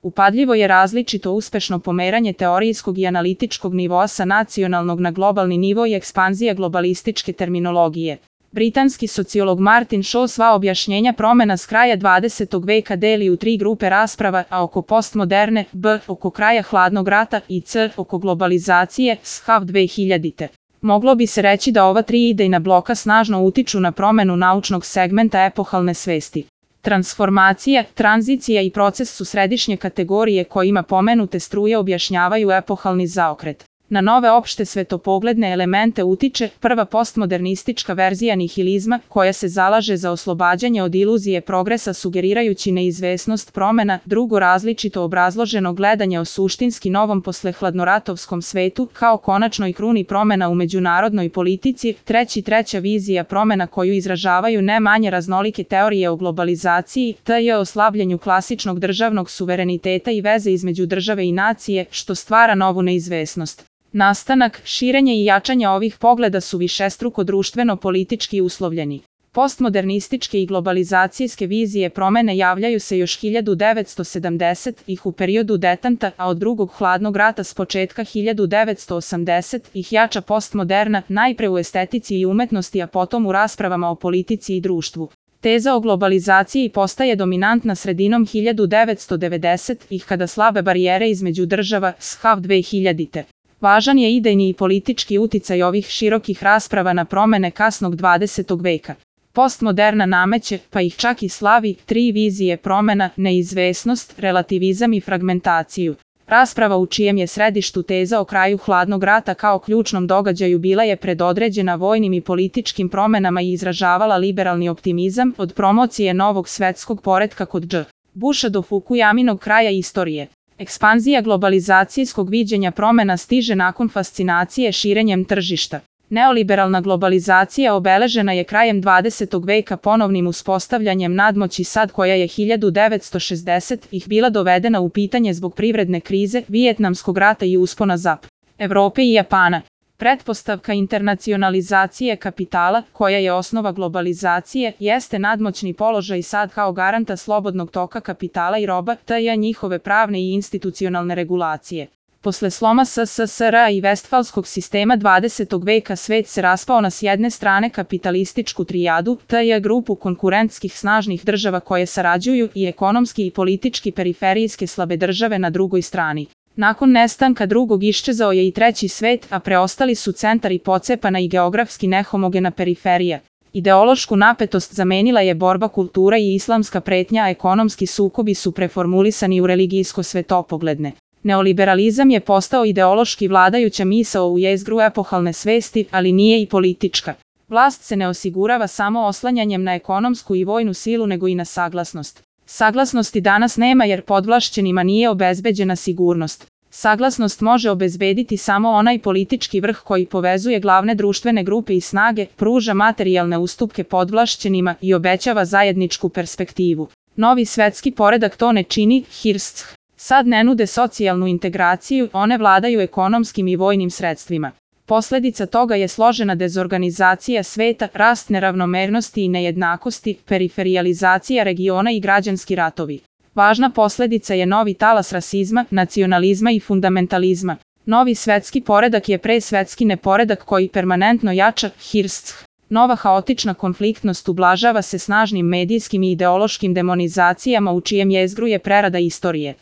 Upadljivo je različito uspešno pomeranje teorijskog i analitičkog nivoa sa nacionalnog na globalni nivo i ekspanzija globalističke terminologije. Britanski sociolog Martin Shaw sva objašnjenja promena s kraja 20. veka deli u 3 grupe rasprava, a oko postmoderne, b. oko kraja hladnog rata i c. oko globalizacije, SHAV 2000. Moglo bi se reći da ova 3 idejna bloka snažno utiču na promenu naučnog segmenta epohalne svesti. Transformacija, tranzicija i proces su središnje kategorije kojima pomenute struje objašnjavaju epohalni zaokret. Na nove opšte svetopogledne elemente utiče prva postmodernistička verzija nihilizma, koja se zalaže za oslobađanje od iluzije progresa sugerirajući neizvesnost promena, drugo različito obrazloženo gledanje o suštinski novom poslehladnoratovskom svetu, kao konačnoj kruni promena u međunarodnoj politici, treća vizija promena koju izražavaju ne manje raznolike teorije o globalizaciji, t.j. o slabljenju klasičnog državnog suvereniteta i veze između države i nacije, što stvara novu neizvesnost. Nastanak, širenje i jačanje ovih pogleda su višestruko društveno-politički uslovljeni. Postmodernističke i globalizacijske vizije promene javljaju se još 1970-ih u periodu detanta, a od drugog hladnog rata s početka 1980-ih jača postmoderna, najpre u estetici i umetnosti, a potom u raspravama o politici i društvu. Teza o globalizaciji postaje dominantna sredinom 1990-ih kada slabe barijere između država, SHAV 2000. Važan je idejni i politički uticaj ovih širokih rasprava na promene kasnog 20. veka. Postmoderna nameće, pa ih čak i slavi, 3 vizije promena, neizvesnost, relativizam i fragmentaciju. Rasprava u čijem je središtu teza o kraju hladnog rata kao ključnom događaju bila je predodređena vojnim i političkim promenama i izražavala liberalni optimizam od promocije novog svetskog poretka kod Dž. Busha do Fukuyaminog kraja istorije. Ekspanzija globalizacijskog viđenja promena stiže nakon fascinacije širenjem tržišta. Neoliberalna globalizacija obeležena je krajem 20. veka ponovnim uspostavljanjem nadmoći sad koja je 1960-ih bila dovedena u pitanje zbog privredne krize, Vijetnamskog rata i uspona ZAP. Evrope i Japana. Pretpostavka internacionalizacije kapitala, koja je osnova globalizacije, jeste nadmoćni položaj sad kao garanta slobodnog toka kapitala i roba, t.j. njihove pravne i institucionalne regulacije. Posle sloma SSSR-a i Vestfalskog sistema 20. veka svet se raspao na s jedne strane kapitalističku trijadu, t.j. grupu konkurentskih snažnih država koje sarađuju i ekonomski i politički periferijske slabe države na drugoj strani. Nakon nestanka drugog iščezao je i treći svet, a preostali su centar i pocepana i geografski nehomogena periferija. Ideološku napetost zamenila je borba kultura i islamska pretnja, a ekonomski sukobi su preformulisani u religijsko-svetopogledne. Neoliberalizam je postao ideološki vladajuća misao u jezgru epohalne svesti, ali nije i politička. Vlast se ne osigurava samo oslanjanjem na ekonomsku i vojnu silu nego i na saglasnost. Saglasnosti danas nema jer podvlašćenima nije obezbeđena sigurnost. Saglasnost može obezbediti samo onaj politički vrh koji povezuje glavne društvene grupe i snage, pruža materijalne ustupke podvlašćenima i obećava zajedničku perspektivu. Novi svetski poredak to ne čini, Hirsch. Sad ne nude socijalnu integraciju, one vladaju ekonomskim i vojnim sredstvima. Posledica toga je složena dezorganizacija sveta, rast neravnomernosti i nejednakosti, periferijalizacija regiona i građanski ratovi. Važna posledica je novi talas rasizma, nacionalizma i fundamentalizma. Novi svetski poredak je pre svetski neporedak koji permanentno jača, Hirsch. Nova haotična konfliktnost ublažava se snažnim medijskim i ideološkim demonizacijama u čijem jezgru je prerada istorije.